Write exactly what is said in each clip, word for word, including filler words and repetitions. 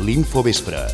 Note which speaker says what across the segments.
Speaker 1: l'Infovespre.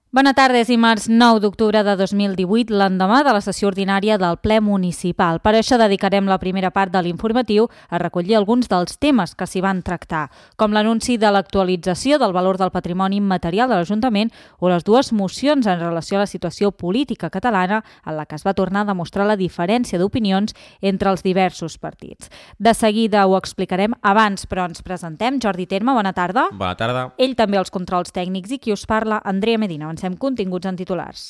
Speaker 2: Bona tarda, és dimarts nou d'octubre de dos mil divuit, l'endemà de la sessió ordinària del ple municipal. Per això dedicarem la primera part de l'informatiu a recollir alguns dels temes que s'hi van tractar, com l'anunci de l'actualització del valor del patrimoni immaterial de l'Ajuntament o les dues mocions en relació a la situació política catalana en la que es va tornar a demostrar la diferència d'opinions entre els diversos partits. De seguida ho explicarem abans, però ens presentem. Jordi Terme, bona tarda.
Speaker 3: Bona tarda.
Speaker 2: Ell també als controls tècnics i qui us parla, Andrea Medina. Avancem continguts en titulars.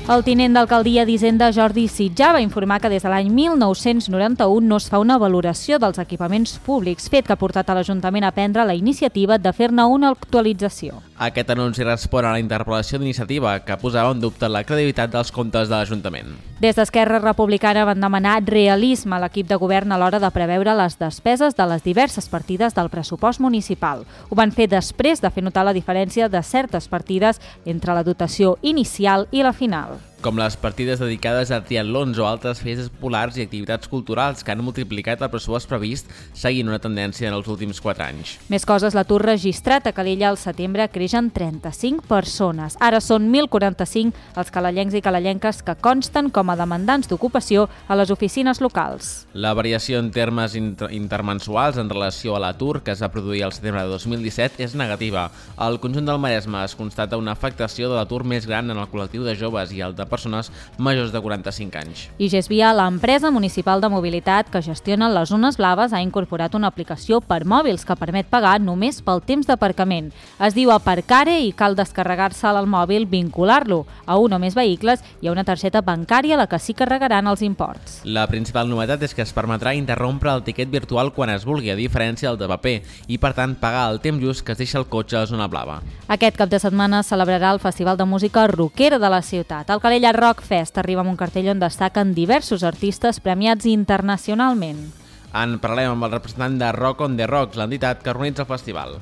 Speaker 2: El tinent d'alcaldia d'Hisenda, Jordi Sitjà, va informar que des de l'any mil nou-cents noranta-u no es fa una valoració dels equipaments públics, fet que ha portat a l'Ajuntament a prendre la iniciativa de fer-ne una actualització.
Speaker 3: Aquest anunci respon a la interpel·lació d'iniciativa que posava en dubte la credibilitat dels comptes de l'Ajuntament.
Speaker 2: Des d'Esquerra Republicana van demanar realisme a l'equip de govern a l'hora de preveure les despeses de les diverses partides del pressupost municipal. Ho van fer després de fer notar la diferència de certes partides entre la dotació inicial i la final,
Speaker 3: com les partides dedicades a triatlons o altres festes populars i activitats culturals que han multiplicat el pressupost previst seguint una tendència en els últims quatre anys.
Speaker 2: Més coses, l'atur registrat a Calella al setembre creix en trenta-cinc persones. Ara són mil quaranta-cinc els calallencs i calallenques que consten com a demandants d'ocupació a les oficines locals.
Speaker 3: La variació en termes inter intermensuals en relació a l'atur que es va produir al setembre de dos mil disset és negativa. Al conjunt del Maresme es constata una afectació de l'atur més gran en el col·lectiu de joves i el de persones majors de quaranta-cinc anys.
Speaker 2: I Gesvia, l'empresa municipal de mobilitat que gestiona les zones blaves, ha incorporat una aplicació per mòbils que permet pagar només pel temps d'aparcament. Es diu Aparcare i cal descarregar-se al mòbil, vincular-lo a un o més vehicles i a una targeta bancària a la que s'hi carregaran els imports.
Speaker 3: La principal novetat és que es permetrà interrompre el tiquet virtual quan es vulgui, a diferència del de paper, i per tant pagar el temps just que es deixa el cotxe a la zona blava.
Speaker 2: Aquest cap de setmana celebrarà el Festival de Música Rockera de la ciutat. El Calella Rock Fest arriba amb un cartell on destaquen diversos artistes premiats internacionalment.
Speaker 3: En parlem amb el representant de Rock on the Rocks, l'entitat que organitza el festival.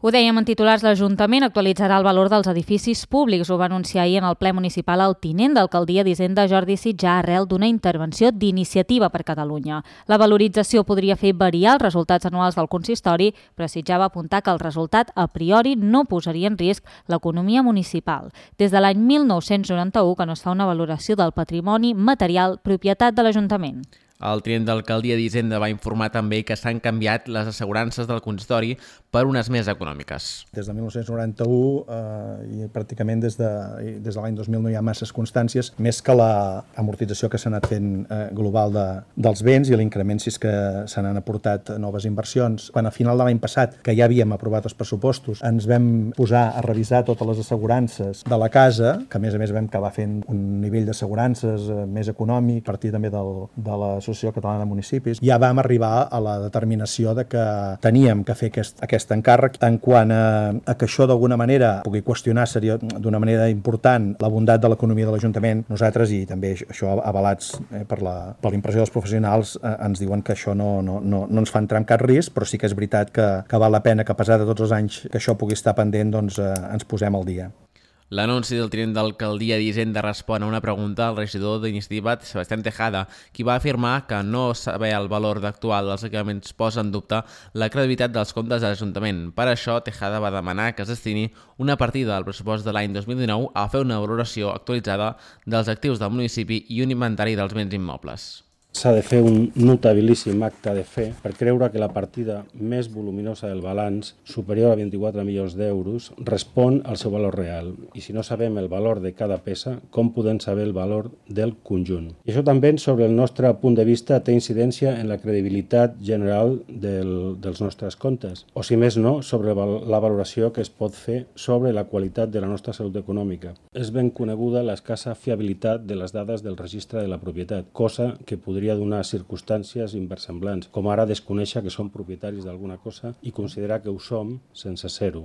Speaker 2: Ho dèiem en titulars, l'Ajuntament actualitzarà el valor dels edificis públics. Ho va anunciar ahir en el ple municipal el tinent d'alcaldia d'Hisenda, Jordi Sitjà, arrel d'una intervenció d'Iniciativa per Catalunya. La valorització podria fer variar els resultats anuals del consistori, però Sitjà va apuntar que el resultat a priori no posaria en risc l'economia municipal. Des de l'any mil nou-cents noranta-u que no es fa una valoració del patrimoni material propietat de l'Ajuntament.
Speaker 3: El tinent d'alcaldia d'Hisenda va informar també que s'han canviat les assegurances del consistori per unes més econòmiques.
Speaker 4: Des de mil nou-cents noranta-u eh, i pràcticament des de, des de l'any dos mil no hi ha masses constàncies, més que l'amortització que s'ha anat fent eh, global de, dels béns i l'increment si és que se n'han aportat noves inversions. Quan a final de l'any passat, que ja havíem aprovat els pressupostos, ens vam posar a revisar totes les assegurances de la casa, que a més a més vam acabar fent un nivell d'assegurances eh, més econòmic, a partir també del, de la Associació Catalana de Municipis, ja vam arribar a la determinació de que teníem que fer aquest, aquest encàrrec en quant a, a que això d'alguna manera pugui qüestionar seria d'una manera important la bondat de l'economia de l'Ajuntament. Nosaltres, i també això avalats eh, per la per la impressió dels professionals, eh, ens diuen que això no, no, no, no ens fa entrar en cap risc, però sí que és veritat que, que val la pena que a pesar de tots els anys que això pugui estar pendent, doncs eh, ens posem al dia.
Speaker 3: L'anunci del tinent d'alcaldia d'Hisenda respon a una pregunta al regidor d'Iniciativa, Sebastián Tejada, qui va afirmar que no saber el valor actual dels equipaments posa en dubte la credibilitat dels comptes de l'Ajuntament. Per això, Tejada va demanar que es destini una partida del pressupost de l'any dos mil dinou a fer una valoració actualitzada dels actius del municipi i un inventari dels béns immobles.
Speaker 5: S'ha de fer un notabilíssim acte de fe per creure que la partida més voluminosa del balanç, superior a vint-i-quatre milions d'euros, respon al seu valor real. I si no sabem el valor de cada peça, com podem saber el valor del conjunt? I això també, sobre el nostre punt de vista, té incidència en la credibilitat general del, dels nostres comptes. O, si més no, sobre la valoració que es pot fer sobre la qualitat de la nostra salut econòmica. És ben coneguda l'escassa fiabilitat de les dades del registre de la propietat, cosa que podria podria donar circumstàncies inversemblants, com ara desconèixer que som propietaris d'alguna cosa i considerar que ho som sense ser-ho.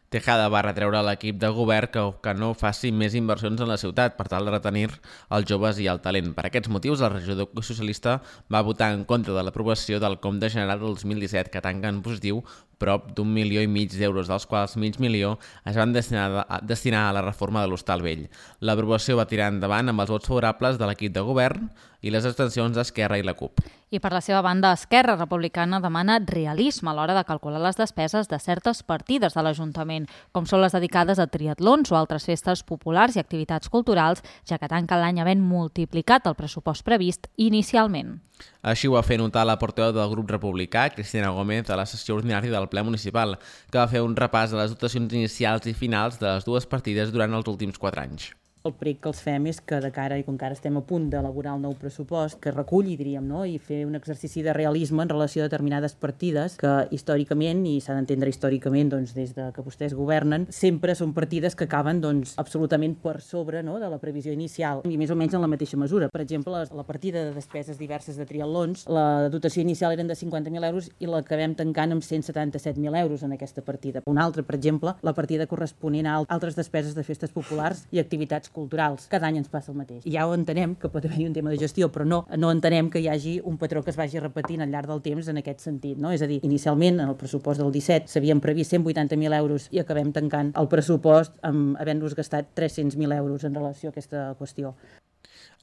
Speaker 3: Tejada va retreure a l'equip de govern que, que no faci més inversions en la ciutat per tal de retenir els joves i el talent. Per aquests motius, el regidor socialista va votar en contra de l'aprovació del compte general del dos mil disset, que tanca en positiu prop d'un milió i mig d'euros, dels quals mig milió es van destinar a, destinar a la reforma de l'Hostal Vell. L'aprovació va tirar endavant amb els vots favorables de l'equip de govern i les abstencions d'Esquerra i la CUP.
Speaker 2: I per la seva banda, Esquerra Republicana demana realisme a l'hora de calcular les despeses de certes partides de l'Ajuntament, com són les dedicades a triatlons o altres festes populars i activitats culturals, ja que tanca l'any havent multiplicat el pressupost previst inicialment.
Speaker 3: Així ho va fer notar la portaveu del grup republicà, Cristina Gómez, a la sessió ordinària del ple municipal, que va fer un repàs de les dotacions inicials i finals de les dues partides durant els últims quatre anys.
Speaker 1: El prec que els fem és que de cara, i com que ara estem a punt d'elaborar el nou pressupost, que reculli, diríem, no? I fer un exercici de realisme en relació a determinades partides que històricament, i s'ha d'entendre històricament doncs, des de que vostès governen, sempre són partides que acaben doncs, absolutament per sobre, no?, de la previsió inicial, i més o menys en la mateixa mesura. Per exemple, la partida de despeses diverses de triatlons, la dotació inicial eren de cinquanta mil euros i l'acabem tancant amb cent setanta-set mil euros en aquesta partida. Una altra, per exemple, la partida corresponent a altres despeses de festes populars i activitats culturals. Cada any ens passa el mateix. I ja ho entenem, que pot haver-hi un tema de gestió, però no, no entenem que hi hagi un patró que es vagi repetint al llarg del temps en aquest sentit, no? És a dir, inicialment, en el pressupost del disset, s'havien previst cent vuitanta mil euros i acabem tancant el pressupost amb havent-nos gastat tres-cents mil euros en relació a aquesta qüestió.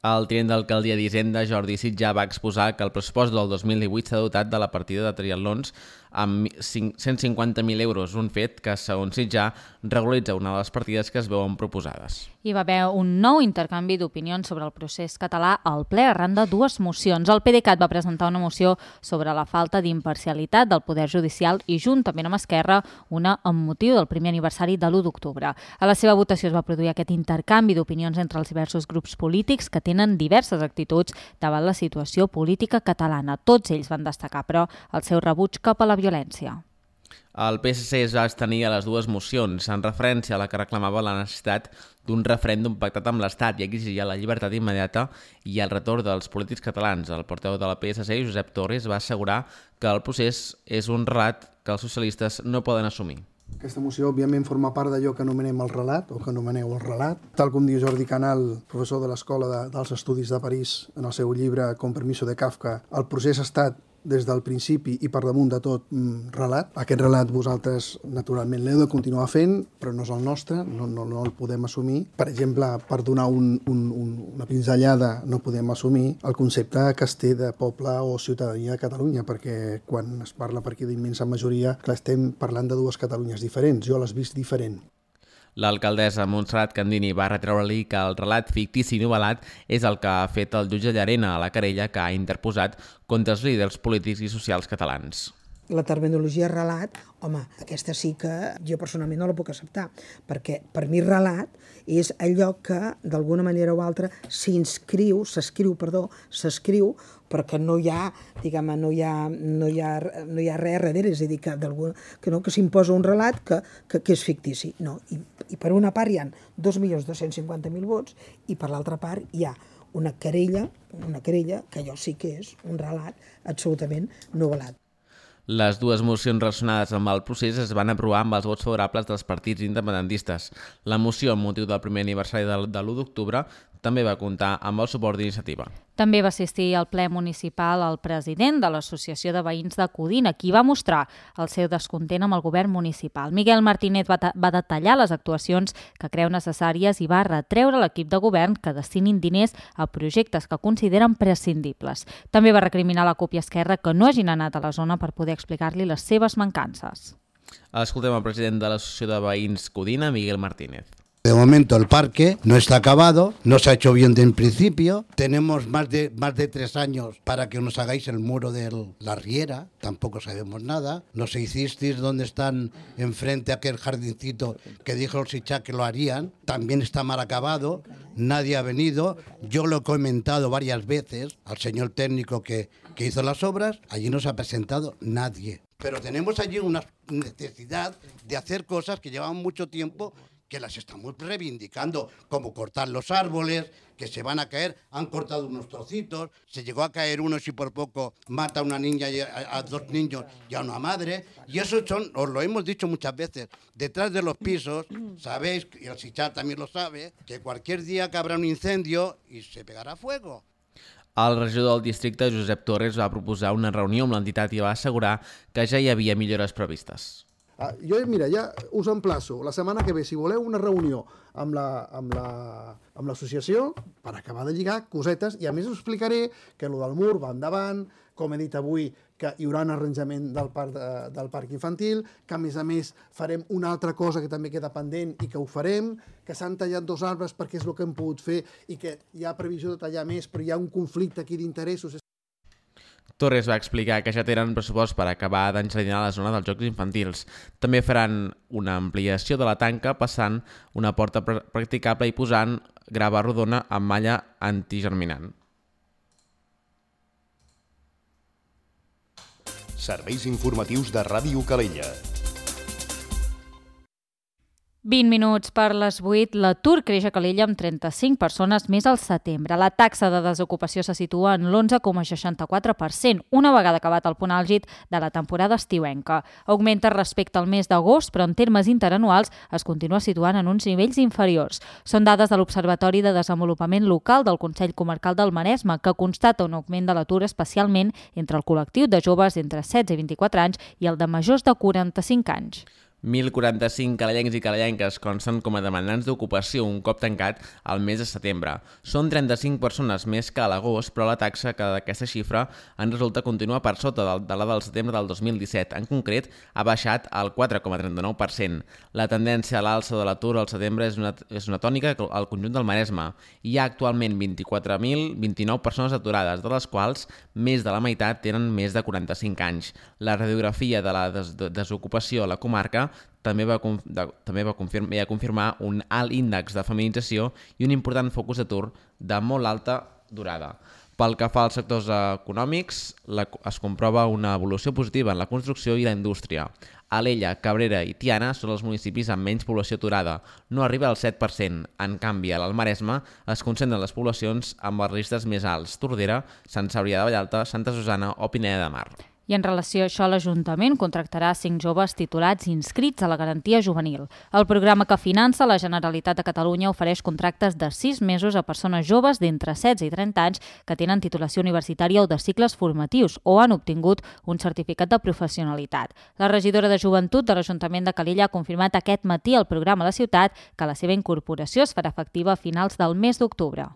Speaker 3: El tinent d'alcaldia d'Hisenda, Jordi Sitjà, va exposar que el pressupost del dos mil divuit s'ha dotat de la partida de triatlons amb cent cinquanta mil euros, un fet que, segons Sitjà, regularitza una de les partides que es veuen proposades.
Speaker 2: Hi va haver un nou intercanvi d'opinions sobre el procés català al ple arran de dues mocions. El PDeCAT va presentar una moció sobre la falta d'imparcialitat del Poder Judicial i, juntament amb Esquerra, una amb motiu del primer aniversari de l'u d'octubre. A la seva votació es va produir aquest intercanvi d'opinions entre els diversos grups polítics que tenen diverses actituds davant la situació política catalana. Tots ells van destacar, però, el seu rebuig cap a la violència.
Speaker 3: El P S C es va abstenir a les dues mocions, en referència a la que reclamava la necessitat d'un referèndum pactat amb l'Estat i exigia la llibertat immediata i el retorn dels polítics catalans. El portaveu de la P S C, Josep Torres, va assegurar que el procés és un relat que els socialistes no poden assumir.
Speaker 6: Aquesta moció, òbviament, forma part d'allò que anomenem el relat, o que anomeneu el relat. Tal com diu Jordi Canal, professor de l'Escola de, dels Estudis de París, en el seu llibre Con permiso de Kafka, el procés ha estat des del principi i per damunt de tot mm, relat. Aquest relat vosaltres, naturalment, l'heu de continuar fent, però no és el nostre, no, no, no el podem assumir. Per exemple, per donar un, un, un, una pinzellada, no podem assumir el concepte que es té de poble o ciutadania de Catalunya, perquè quan es parla per aquí d'immensa majoria, clar, estem parlant de dues Catalunyes diferents. Jo l'he vist diferent.
Speaker 3: L'alcaldessa Montserrat Candini va retreure-li que el relat fictici i novel·lat és el que ha fet el jutge Llarena a la querella que ha interposat contra els líders polítics i socials catalans.
Speaker 7: La terminologia relat, home, aquesta sí que jo personalment no la puc acceptar, perquè per mi relat és allò que d'alguna manera o altra s'inscriu, s'escriu, perdó, s'escriu, perquè no hi ha, diguem, no hi ha, no hi ha, no hi ha res darrere, és a dir, que, que, no, que s'imposa un relat que, que, que és fictici. No. I, I per una part hi ha dos milions dos-cents cinquanta mil vots i per l'altra part hi ha una querella, una querella que allò sí que és un relat absolutament novel·lat.
Speaker 3: Les dues mocions relacionades amb el procés es van aprovar amb els vots favorables dels partits independentistes. La moció amb motiu del primer aniversari de l'u d'octubre també va comptar amb el suport d'Iniciativa.
Speaker 2: També va assistir al ple municipal el president de l'Associació de Veïns de Codina, qui va mostrar el seu descontent amb el govern municipal. Miguel Martínez va, va detallar les actuacions que creu necessàries i va retreure a l'equip de govern que destinin diners a projectes que consideren prescindibles. També va recriminar la CUP i Esquerra que no hagin anat a la zona per poder explicar-li les seves mancances.
Speaker 3: Escoltem el president de l'Associació de Veïns Codina, Miguel Martínez.
Speaker 8: De momento el parque no está acabado, no se ha hecho bien de principio, tenemos más de, más de tres años para que nos hagáis el muro de la Riera, tampoco sabemos nada, nos hicisteis donde están enfrente aquel jardincito que dijo el Sitjà que lo harían, también está mal acabado, nadie ha venido, yo lo he comentado varias veces al señor técnico que, que hizo las obras, allí no se ha presentado nadie, pero tenemos allí una necesidad de hacer cosas que llevan mucho tiempo que las estamos reivindicando, como cortar los árboles, que se van a caer, han cortado unos trocitos, se llegó a caer uno si por poco mata a una niña, y a, a dos niños y a una madre, y eso son, os lo hemos dicho muchas veces, detrás de los pisos, sabéis, y el Sitjà también lo sabe, que cualquier día que habrá un incendio y se pegará fuego.
Speaker 3: El regidor del districte, Josep Torres, va proposar una reunió amb l'entitat i va assegurar que ja hi havia millores previstes.
Speaker 6: Ah, jo, mira, ja us emplaço la setmana que ve, si voleu, una reunió amb la, amb la, amb l'associació per acabar de lligar cosetes i a més us explicaré que el del mur va endavant, com he dit avui, que hi haurà un arranjament del parc, de, del parc infantil, que a més a més farem una altra cosa que també queda pendent i que ho farem, que s'han tallat dos arbres perquè és el que hem pogut fer i que hi ha previsió de tallar més, però hi ha un conflicte aquí d'interessos.
Speaker 3: Torres va explicar que ja tenen pressupost per acabar d'enjardiner la zona dels jocs infantils. També faran una ampliació de la tanca passant una porta pr practicable i posant grava rodona amb malla antigerminant.
Speaker 9: Serveis informatius de Ràdio Calella.
Speaker 2: vint minuts per les vuit, l'atur creix a Calella amb trenta-cinc persones més al setembre. La taxa de desocupació se situa en l'onze coma seixanta-quatre per cent, una vegada acabat el punt àlgid de la temporada estiuenca. Augmenta respecte al mes d'agost, però en termes interanuals es continua situant en uns nivells inferiors. Són dades de l'Observatori de Desenvolupament Local del Consell Comarcal del Maresme, que constata un augment de l'atur especialment entre el col·lectiu de joves entre setze i vint-i-quatre anys i el de majors de quaranta-cinc anys.
Speaker 3: mil quaranta-cinc calellencs i calellenques consten com a demandants d'ocupació un cop tancat al mes de setembre. Són trenta-cinc persones més que a l'agost, però la taxa que d'aquesta xifra en resulta continua per sota de la del setembre del dos mil disset. En concret, ha baixat al quatre coma trenta-nou per cent. La tendència a l'alça de l'atur al setembre és una, és una tònica al conjunt del Maresme. Hi ha actualment vint-i-quatre mil vint-i-nou persones aturades, de les quals més de la meitat tenen més de quaranta-cinc anys. La radiografia de la des desocupació a la comarca també va, de, també va confirmar, confirmar un alt índex de feminització i un important focus d'atur de molt alta durada. Pel que fa als sectors econòmics, la, es comprova una evolució positiva en la construcció i la indústria. Alella, Cabrera i Tiana són els municipis amb menys població aturada, no arriba al set per cent. En canvi, a l'Alt Maresme es concentren les poblacions amb els riscos més alts: Tordera, Sant Cebrià de Vallalta, Santa Susana o Pineda de Mar.
Speaker 2: I en relació a això, l'Ajuntament contractarà cinc joves titulats inscrits a la garantia juvenil. El programa que finança la Generalitat de Catalunya ofereix contractes de sis mesos a persones joves d'entre setze i trenta anys que tenen titulació universitària o de cicles formatius o han obtingut un certificat de professionalitat. La regidora de Joventut de l'Ajuntament de Calella ha confirmat aquest matí al programa a la ciutat que la seva incorporació es farà efectiva a finals del mes d'octubre.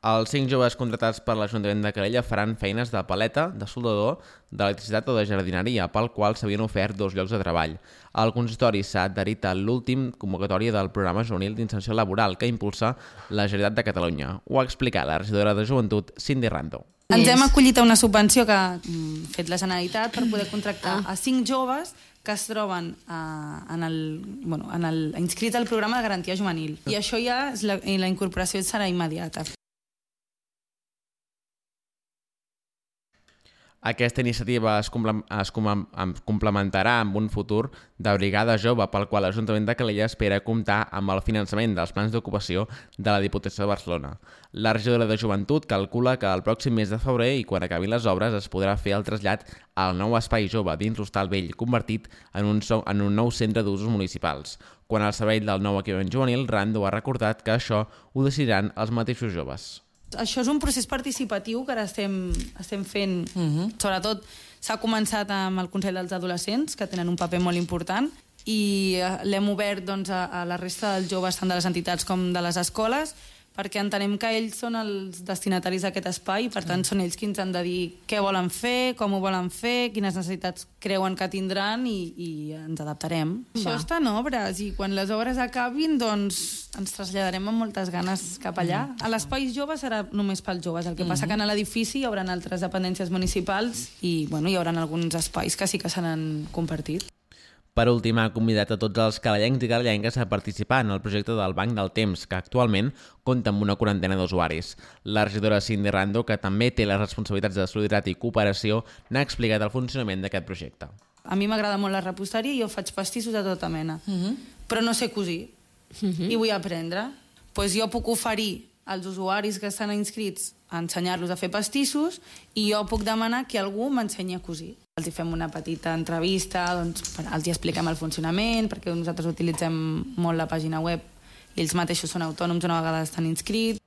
Speaker 3: Els cinc joves contratats per l'Ajuntament de Calella faran feines de paleta, de soldador, d'electricitat o de jardineria, pel qual s'havien ofert dos llocs de treball. El consistori s'ha adherit a l'últim convocatòria del programa juvenil d'inserció laboral que impulsa la Generalitat de Catalunya. Ho ha explicat la regidora de Joventut, Cindy Rando.
Speaker 10: Ens hem acollit a una subvenció que ha fet la Generalitat per poder contractar a cinc joves que es troben uh, en el, bueno, en el, inscrits al programa de garantia juvenil. I això ja, és la, la incorporació serà immediata.
Speaker 3: Aquesta iniciativa es, es complementarà amb un futur de brigada jove pel qual l'Ajuntament de Calella espera comptar amb el finançament dels plans d'ocupació de la Diputació de Barcelona. La regidora de Joventut calcula que el pròxim mes de febrer i quan acabin les obres es podrà fer el trasllat al nou espai jove dins l'Hostal Vell, convertit en un, so, en un nou centre d'usos municipals. Quan al servei del nou equipament juvenil, Rando ha recordat que això ho decidiran els mateixos joves.
Speaker 10: Això és un procés participatiu que ara estem, estem fent. Uh-huh. Sobretot s'ha començat amb el Consell dels Adolescents, que tenen un paper molt important, i l'hem obert doncs, a, a la resta dels joves, tant de les entitats com de les escoles, perquè entenem que ells són els destinataris d'aquest espai i per tant són ells qui ens han de dir què volen fer, com ho volen fer, quines necessitats creuen que tindran i, i ens adaptarem. Va. Això està en obres i quan les obres acabin doncs ens traslladarem amb moltes ganes cap allà. Mm. A l'espai jove serà només pels joves, el que passa que en l'edifici hi haurà altres dependències municipals i bueno, hi haurà alguns espais que sí que s'han compartit.
Speaker 3: Per últim, ha convidat a tots els calellencs i calellenques a participar en el projecte del Banc del Temps, que actualment compta amb una quarantena d'usuaris. La regidora Cindy Rando, que també té les responsabilitats de solidaritat i cooperació, n'ha explicat el funcionament d'aquest projecte.
Speaker 10: A mi m'agrada molt la reposteria i jo faig pastissos de tota mena, uh-huh. però no sé cosir uh-huh. i vull aprendre. Pues jo puc oferir als usuaris que estan inscrits a ensenyar-los a fer pastissos i jo puc demanar que algú m'ensenyi a cosir. Els hi fem una petita entrevista, doncs, els hi expliquem el funcionament, perquè nosaltres utilitzem molt la pàgina web i ells mateixos són autònoms una vegada estan inscrits.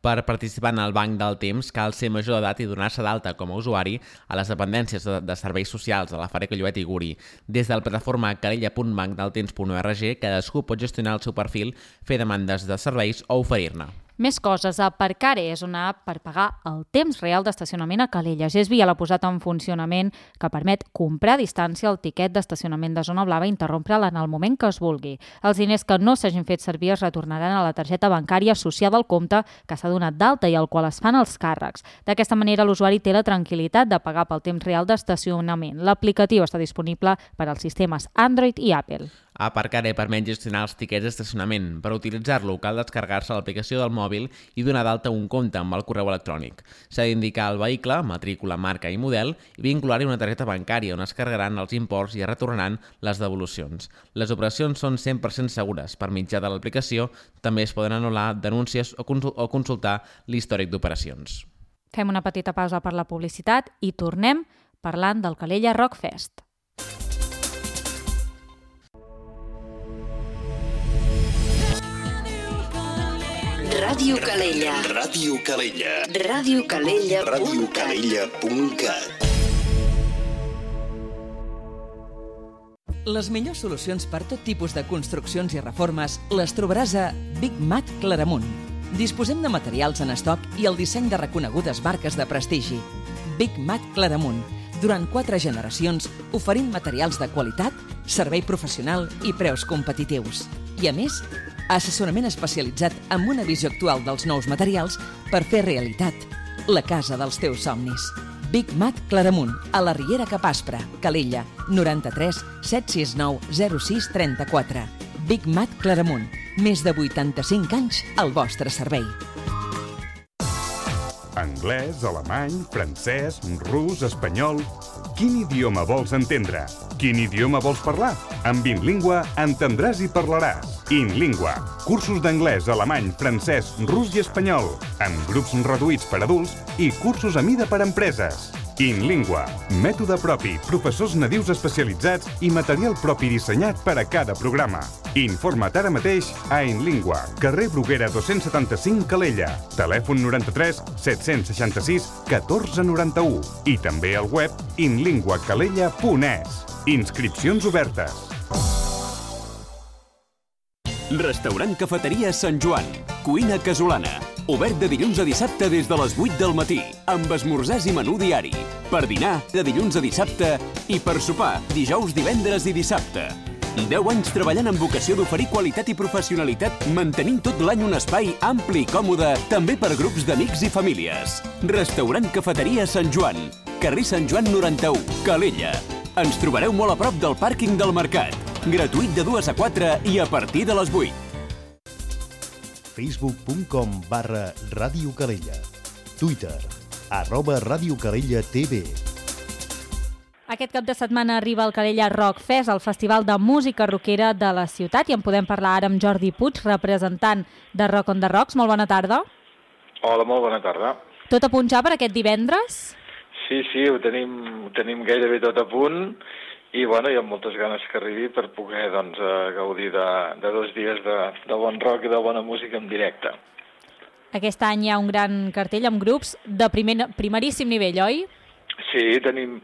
Speaker 3: Per participar en el Banc del Temps cal ser major d'edat i donar-se d'alta com a usuari a les dependències de, de serveis socials de la Fàbrica Llobet i Guri. Des del plataforma calella punt banc del temps punt org, cadascú pot gestionar el seu perfil, fer demandes de serveis o oferir-ne.
Speaker 2: Més coses. Aparcare és una app per pagar el temps real d'estacionament a Calella. Gesbi ja l'ha posat en funcionament, que permet comprar a distància el tiquet d'estacionament de zona blava i interrompre'l en el moment que es vulgui. Els diners que no s'hagin fet servir es retornaran a la targeta bancària associada al compte que s'ha donat d'alta i al qual es fan els càrrecs. D'aquesta manera, l'usuari té la tranquil·litat de pagar pel temps real d'estacionament. L'aplicatiu està disponible per als sistemes Android i Apple.
Speaker 3: Aparcare permet gestionar els tiquets d'estacionament. Per utilitzar-lo cal descarregar-se l'aplicació del mòbil i donar d'alta un compte amb el correu electrònic. S'ha d'indicar el vehicle, matrícula, marca i model i vincular-hi una targeta bancària on es carregaran els imports i es retornaran les devolucions. Les operacions són cent per cent segures. Per mitjà de l'aplicació també es poden anul·lar denúncies o consultar l'històric d'operacions.
Speaker 2: Fem una petita pausa per la publicitat i tornem parlant del Calella Rock Fest.
Speaker 11: Ràdio Calella.
Speaker 9: Ràdio Calella.
Speaker 11: Ràdio Calella.
Speaker 9: Ràdio Calella punt cat.
Speaker 12: Les millors solucions per tot tipus de construccions i reformes les trobaràs a Big Mat Claramunt. Disposem de materials en estoc i el disseny de reconegudes marques de prestigi. Big Mat Claramunt. Durant quatre generacions oferint materials de qualitat, servei professional i preus competitius. I a més, assessorament especialitzat amb una visió actual dels nous materials per fer realitat la casa dels teus somnis. Big Mat Claramunt, a la Riera Cap Aspre, Calella, noranta-tres set sis nou zero sis trenta-quatre. Big Mat Claramunt, més de vuitanta-cinc anys al vostre servei.
Speaker 13: Anglès, alemany, francès, rus, espanyol... Quin idioma vols entendre? Quin idioma vols parlar? Amb InLingua entendràs i parlaràs. InLingua. Cursos d'anglès, alemany, francès, rus i espanyol. Amb grups reduïts per adults i cursos a mida per empreses. InLingua. Mètode propi, professors nadius especialitzats i material propi dissenyat per a cada programa. Informa't ara mateix a InLingua, carrer Bruguera dos-cents setanta-cinc, Calella. Telèfon noranta-tres set-cents seixanta-sis catorze noranta-u i també al web inlingua calella punt es. Inscripcions obertes.
Speaker 14: Restaurant Cafeteria Sant Joan. Cuina casolana. Obert de dilluns a dissabte des de les vuit del matí, amb esmorzars i menú diari. Per dinar, de dilluns a dissabte, i per sopar, dijous, divendres i dissabte. deu anys treballant amb vocació d'oferir qualitat i professionalitat, mantenint tot l'any un espai ampli i còmode, també per grups d'amics i famílies. Restaurant Cafeteria Sant Joan. Carrer Sant Joan noranta-u, Calella. Ens trobareu molt a prop del pàrquing del Mercat. Gratuït de dues a quatre i a partir de les vuit.
Speaker 9: facebook punt com barra Ràdio Calella. Twitter, arroba Ràdio Calella T V.
Speaker 2: Aquest cap de setmana arriba el Calella Rock Fest, el festival de música rockera de la ciutat, i en podem parlar ara amb Jordi Puig, representant de Rock on the Rocks. Molt bona tarda.
Speaker 15: Hola, molt bona tarda.
Speaker 2: Tot a punt ja per aquest divendres?
Speaker 15: Sí, sí, ho tenim, ho tenim gairebé tot a punt i bueno, hi ha moltes ganes que arribi per poder doncs, gaudir de, de dos dies de, de bon rock i de bona música en directe.
Speaker 2: Aquest any hi ha un gran cartell amb grups de primer, primeríssim nivell, oi?
Speaker 15: Sí, tenim,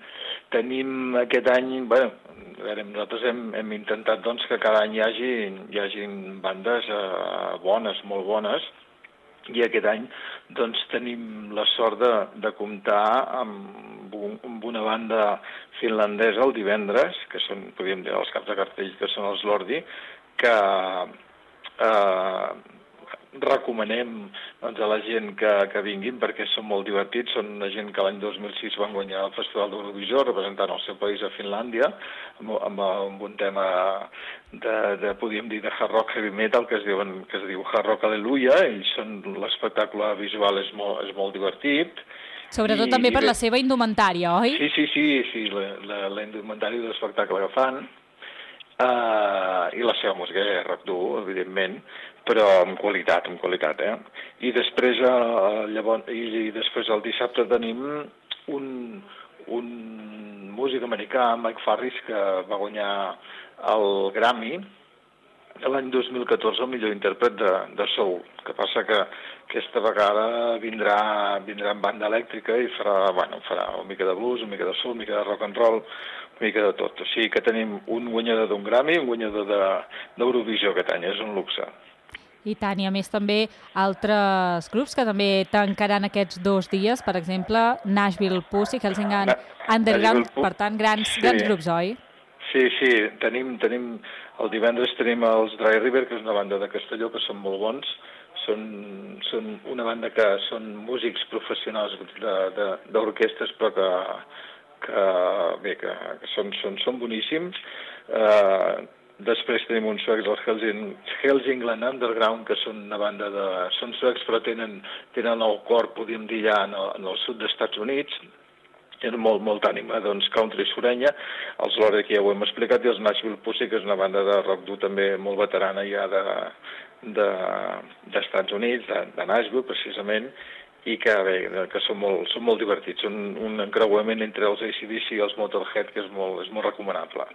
Speaker 15: tenim aquest any... Bueno, a veure, nosaltres hem, hem intentat doncs, que cada any hi hagi, hi hagi bandes eh, bones, molt bones, i aquest any doncs, tenim la sort de, de comptar amb, un, amb una banda finlandesa el divendres, que són, podríem dir, els caps de cartell, que són els Lordi, que eh, recomanem doncs, a la gent que, que vinguin perquè són molt divertits. Són una gent que l'any dos mil sis van guanyar el Festival d'Eurovisió representant el seu país a Finlàndia amb, amb, amb un tema de, de, podríem dir, de hard rock heavy metal que es, diuen, que es diu Hard Rock Aleluia. Ells són, l'espectacle visual és molt, és molt divertit.
Speaker 2: Sobretot I, també per bé, la seva indumentària, oi?
Speaker 15: Sí, sí, sí, sí la, la, la indumentària de l'espectacle que fan uh, i la seva música és rock dur, evidentment, però amb qualitat, amb qualitat, eh? I després, uh, llavors, i, i després el dissabte tenim un, un músic americà, Mike Farris, que va guanyar el Grammy l'any dos mil catorze el millor intèrpret de, de soul. Que passa que aquesta vegada vindrà, vindrà en banda elèctrica i farà, bueno, farà una mica de blues, una mica de soul, una mica de rock and roll, una mica de tot. O sigui que tenim un guanyador d'un Grammy i un guanyador d'Eurovisió aquest any, és un luxe.
Speaker 2: I tant, i a més també altres grups que també tancaran aquests dos dies, per exemple, Nashville Pussy, Helsingland Underground, per tant, grans, sí. grans grups, oi?
Speaker 15: Sí, sí, tenim, tenim, el divendres tenim els Dry River, que és una banda de Castelló, que són molt bons, són, són una banda que són músics professionals d'orquestres, però que, que, bé, que, que són, són, són boníssims. Eh, Després tenim uns suecs, els Helsing, Helsingland Underground, que són una banda de... Són suecs, però tenen, tenen el cor, podríem dir, ja en el, en el sud dels Estats Units. Tenen molt, molt ànima, doncs, country surenya. Els Lore, que ja ho hem explicat, i els Nashville Pussy, que és una banda de rock dur també molt veterana ja de, de, d'Estats Units, de, de Nashville, precisament, i que, bé, que són, molt, són molt divertits. Són un encreuament entre els A C D C i els Motorhead, que és molt, és molt recomanable.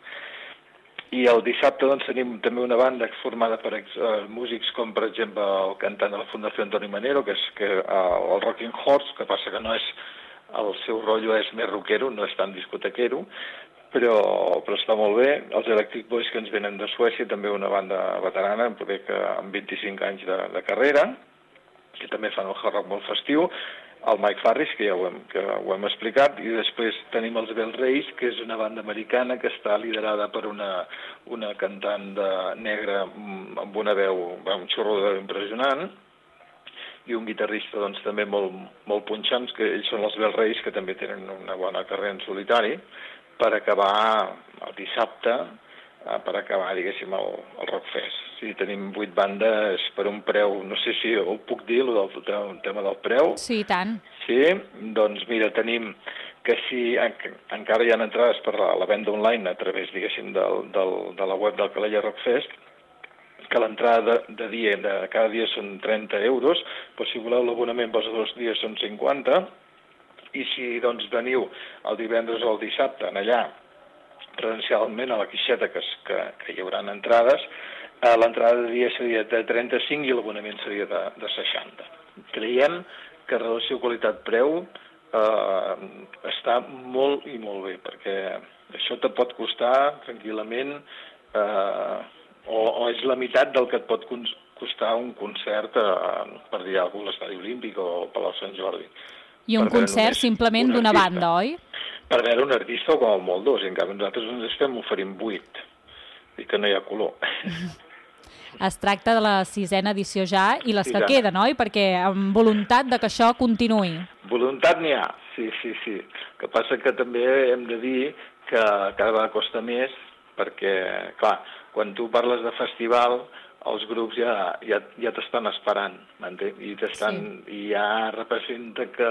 Speaker 15: I el dissabte doncs, tenim també una banda formada per ex, uh, músics com, per exemple, el cantant de la Fundació Antoni Manero, que és que, uh, el Rocking Horse, que passa que no és, el seu rotllo és més rockero, no és tan discotequero, però, però està molt bé. Els Electric Boys, que ens venen de Suècia, també una banda veterana, poder que amb vint-i-cinc anys de, de carrera, que també fan el hard rock molt festiu. El Mike Farris, que ja ho hem, que ho hem explicat, i després tenim els Bell Rays, que és una banda americana que està liderada per una, una cantant de negra amb una veu, un xorro de veu impressionant, i un guitarrista doncs, també molt, molt punxants, que ells són els Bell Rays, que també tenen una bona carrera en solitari, per acabar el dissabte, per acabar, diguéssim, el, el Rockfest. Sí, tenim vuit bandes per un preu, no sé si ho puc dir, el del tema del preu.
Speaker 2: Sí, i tant.
Speaker 15: Sí, doncs mira, tenim que si en, encara hi ha entrades per la, la venda online a través, diguéssim, del, del, de la web del Calella Rockfest, que l'entrada de, de dia, de cada dia són trenta euros, però si voleu l'abonament pels dos dies són cinquanta, i si doncs veniu el divendres o el dissabte en allà, presencialment a la Quixeta, que, que, que hi haurà entrades, eh, l'entrada de dia seria de trenta-cinc i l'abonament seria de, de seixanta. Creiem que relació qualitat-preu eh, està molt i molt bé, perquè això te pot costar tranquil·lament eh, o, o és la meitat del que et pot costar un concert eh, per dir alguna cosa, a l'Estadi Olímpic o al Palau Sant Jordi.
Speaker 2: I un concert simplement d'una banda, oi?
Speaker 15: Per veure un artista o com el molt dos, i en canvi nosaltres ens estem oferint vuit, i que no hi ha color.
Speaker 2: Es tracta de la sisena edició ja i les que queden, oi? Perquè amb voluntat de que això continuï.
Speaker 15: Voluntat n'hi ha, sí, sí, sí. El que passa que també hem de dir que cada vegada costa més, perquè, clar, quan tu parles de festival, els grups ja, ja, ja t'estan esperant, m'entens? I, t'estan, sí. I ja representa que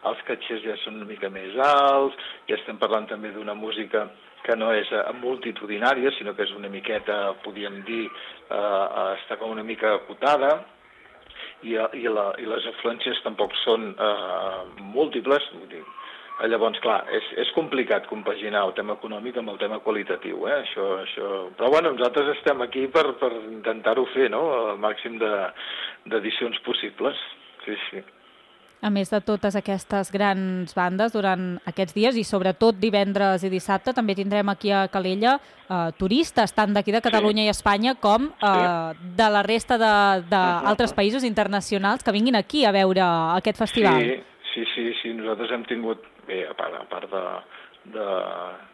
Speaker 15: els catxers ja són una mica més alts, ja estem parlant també d'una música que no és multitudinària, sinó que és una miqueta, podríem dir, eh, està com una mica acotada, i, i, la, i les afluències tampoc són eh, múltiples, vull dir. Llavors, clar, és, és complicat compaginar el tema econòmic amb el tema qualitatiu, eh? Això, això... Però bueno, nosaltres estem aquí per, per intentar-ho fer, no?, el màxim d'edicions de, possibles. Sí, sí.
Speaker 2: A més de totes aquestes grans bandes durant aquests dies i sobretot divendres i dissabte també tindrem aquí a Calella eh, turistes, tant d'aquí de Catalunya sí. i Espanya com eh, sí. de la resta d'altres uh -huh. països internacionals que vinguin aquí a veure aquest festival.
Speaker 15: Sí, sí, sí, sí. Nosaltres hem tingut, bé, a part, a part de, de,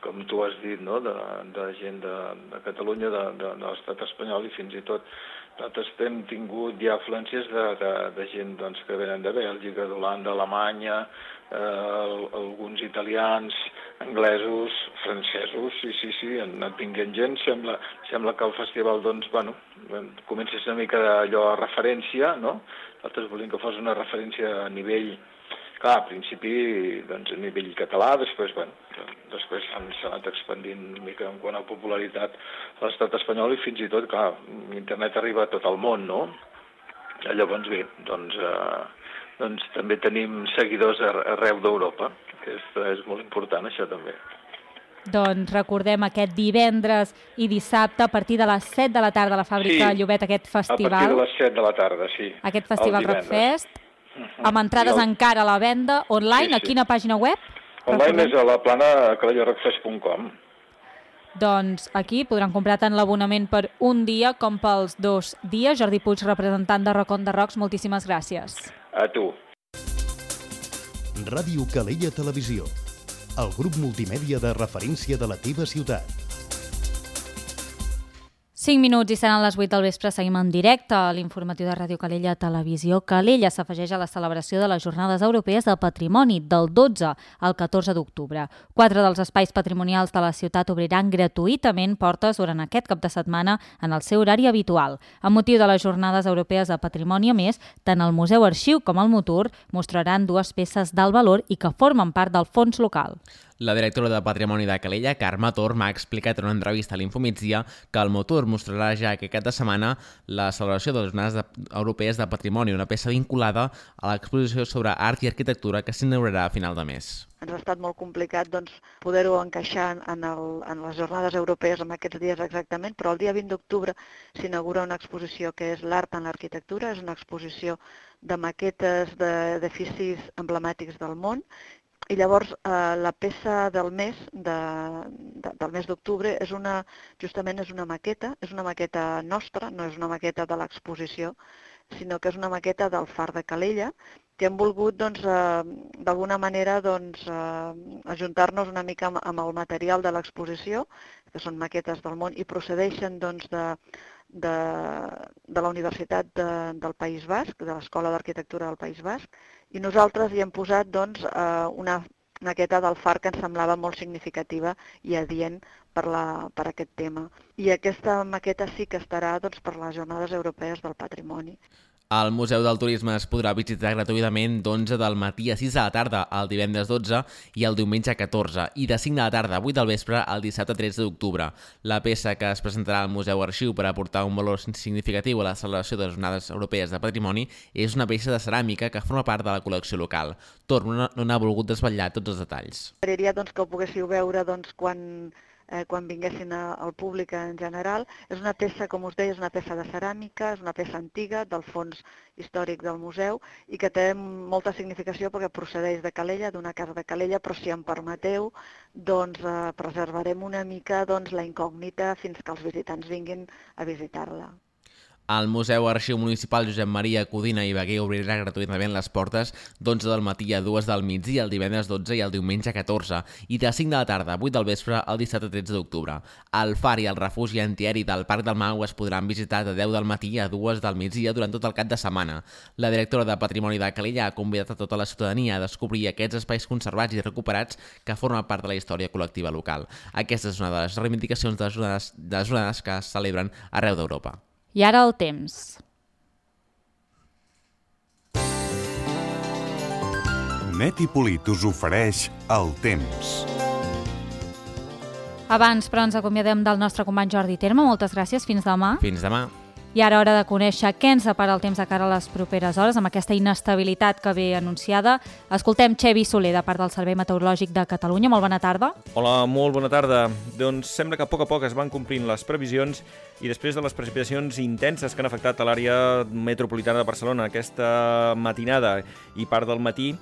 Speaker 15: com tu has dit, no?, de, de gent de, de Catalunya, de, de, de l'estat espanyol i fins i tot nosaltres hem tingut ja afluències de, de, de gent doncs, que venen de Bèlgica, d'Holanda, Alemanya, eh, alguns italians, anglesos, francesos, sí, sí, sí, han anat vinguent gent. Sembla, sembla que el festival, doncs, bueno, comença a ser una mica d'allò a referència, no? Nosaltres volíem que fos una referència a nivell, clar, a principi, doncs, a nivell català, després, bueno, després s'ha anat expandint una mica en quant a popularitat a l'estat espanyol i fins i tot, clar, internet arriba a tot el món, no? Llavors, bé, doncs, eh, doncs també tenim seguidors arreu d'Europa, que és, és molt important, això també.
Speaker 2: Doncs recordem aquest divendres i dissabte a partir de les set de la tarda a la fàbrica
Speaker 15: Sí,
Speaker 2: Llobet, aquest festival.
Speaker 15: A partir de les set de la tarda, sí.
Speaker 2: Aquest festival
Speaker 15: el divendres.
Speaker 2: Rockfest, amb entrades
Speaker 15: el...
Speaker 2: encara a la venda online.
Speaker 15: Sí, sí.
Speaker 2: A quina pàgina web?
Speaker 15: Online és a la plana calella rockfest punt com.
Speaker 2: Doncs aquí podran comprar tant l'abonament per un dia com pels dos dies. Jordi Puig, representant de Rock on the Rocks, moltíssimes gràcies.
Speaker 15: A tu.
Speaker 9: Ràdio Calella Televisió, el grup multimèdia de referència de la teva ciutat.
Speaker 2: cinc minuts i seran les vuit del vespre. Seguim en directe a l'informatiu de Ràdio Calella Televisió. Calella s'afegeix a la celebració de les Jornades Europees del Patrimoni del dotze al catorze d'octubre. Quatre dels espais patrimonials de la ciutat obriran gratuïtament portes durant aquest cap de setmana en el seu horari habitual. Amb motiu de les Jornades Europees de Patrimoni, a més, tant el Museu Arxiu com el Motur mostraran dues peces d'alt valor i que formen part del fons local.
Speaker 3: La directora de Patrimoni de Calella, Carme Torm, ha explicat en una entrevista a l'Infomigdia que el Motur mostrarà ja aquest cap de setmana la celebració de les Jornades Europees de Patrimoni, una peça vinculada a l'exposició sobre art i arquitectura que s'inaugurarà a final de mes.
Speaker 16: Ens ha estat molt complicat doncs, poder-ho encaixar en, el, en les Jornades Europees en aquests dies exactament, però el dia vint d'octubre s'inaugura una exposició que és l'art en l'arquitectura, és una exposició de maquetes d'edificis emblemàtics del món. I llavors eh, la peça del mes de, de, del mes d'octubre és una, justament és una maqueta, és una maqueta nostra, no és una maqueta de l'exposició, sinó que és una maqueta del Far de Calella, que hem volgut doncs, eh, d'alguna manera doncs, eh, ajuntar-nos una mica amb, amb el material de l'exposició, que són maquetes del món, i procedeixen doncs, de, de, de la Universitat de, del País Basc, de l'Escola d'Arquitectura del País Basc, i nosaltres hi hem posat doncs, una maqueta del Far que ens semblava molt significativa i adient per, la, per aquest tema. I aquesta maqueta sí que estarà doncs, per les Jornades Europees del Patrimoni.
Speaker 3: El Museu del Turisme es podrà visitar gratuïtament d'onze del matí a sis de la tarda el divendres dotze i el diumenge catorze i de cinc de la tarda a vuit del vespre el dissabte tretze d'octubre. La peça que es presentarà al Museu Arxiu per aportar un valor significatiu a la celebració de les Jornades Europees de Patrimoni és una peça de ceràmica que forma part de la col·lecció local. Torm no n'ha volgut desvetllar tots els detalls.
Speaker 16: M'agradaria doncs, que ho poguéssiu veure doncs, quan... Eh, quan vinguessin al públic en general. És una peça, com us deia, és una peça de ceràmica, és una peça antiga del fons històric del museu i que té molta significació perquè procedeix de Calella, d'una casa de Calella, però si em permeteu, doncs eh, preservarem una mica doncs, la incògnita fins que els visitants vinguin a visitar-la.
Speaker 3: El Museu Arxiu Municipal Josep Maria Codina i Beguer obrirà gratuïtament les portes d'onze del matí a dues del migdia el divendres dotze i el diumenge catorze i de cinc de la tarda a vuit del vespre el dissabte tretze d'octubre. El far i el refugi antiaeri del Parc del Mau es podran visitar de deu del matí a dues del migdia durant tot el cap de setmana. La directora de Patrimoni de Calella ha convidat a tota la ciutadania a descobrir aquests espais conservats i recuperats que formen part de la història col·lectiva local. Aquesta és una de les reivindicacions de les jornades, de les jornades que es celebren arreu d'Europa.
Speaker 2: I ara el temps.
Speaker 13: Net i Polit us ofereix el temps.
Speaker 2: Abans, però, ens acomiadem del nostre company Jordi Terme. Moltes gràcies. Fins demà.
Speaker 3: Fins demà.
Speaker 2: I ara hora de conèixer què ens separa el temps de cara a les properes hores, amb aquesta inestabilitat que ve anunciada. Escoltem Xevi Soler, de part del Servei Meteorològic de Catalunya. Molt bona tarda.
Speaker 17: Hola, molt bona tarda. Doncs sembla que a poc a poc es van complint les previsions i després de les precipitacions intenses que han afectat a l'àrea metropolitana de Barcelona aquesta matinada i part del matí,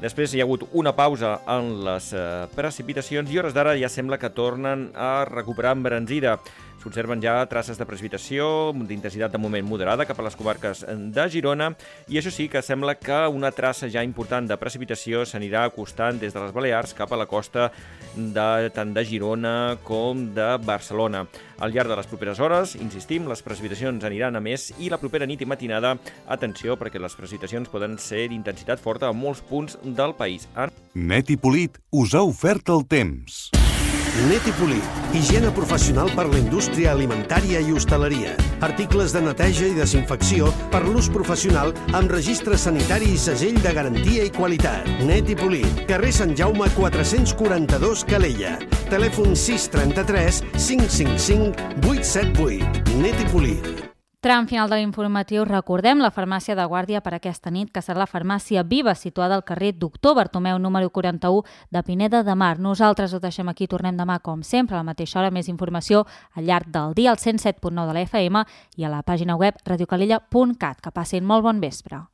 Speaker 17: després hi ha hagut una pausa en les precipitacions i hores d'ara ja sembla que tornen a recuperar embranzida. S'observen ja traces de precipitació d'intensitat de moment moderada cap a les comarques de Girona i això sí que sembla que una traça ja important de precipitació s'anirà acostant des de les Balears cap a la costa de, tant de Girona com de Barcelona. Al llarg de les properes hores, insistim, les precipitacions aniran a més i la propera nit i matinada, atenció, perquè les precipitacions poden ser d'intensitat forta a molts punts del país.
Speaker 13: Net i Polit us ha ofert el temps.
Speaker 18: Net i Polit, higiene professional per la indústria alimentària i hostaleria. Articles de neteja i desinfecció per l'ús professional amb registre sanitari i segell de garantia i qualitat. Net i Polit, carrer Sant Jaume quatre-cents quaranta-dos Calella. Telèfon sis trenta-tres cinc cinc cinc vuit set vuit. Net i Polit.
Speaker 2: Tram final de l'informatiu, recordem la farmàcia de guàrdia per aquesta nit, que serà la farmàcia Viva, situada al carrer Doctor Bartomeu, número quaranta-u de Pineda de Mar. Nosaltres ho deixem aquí, tornem demà, com sempre, a la mateixa hora. Més informació al llarg del dia, al cent set punt nou de la F M i a la pàgina web radiocalella punt cat. Que passin molt bon vespre.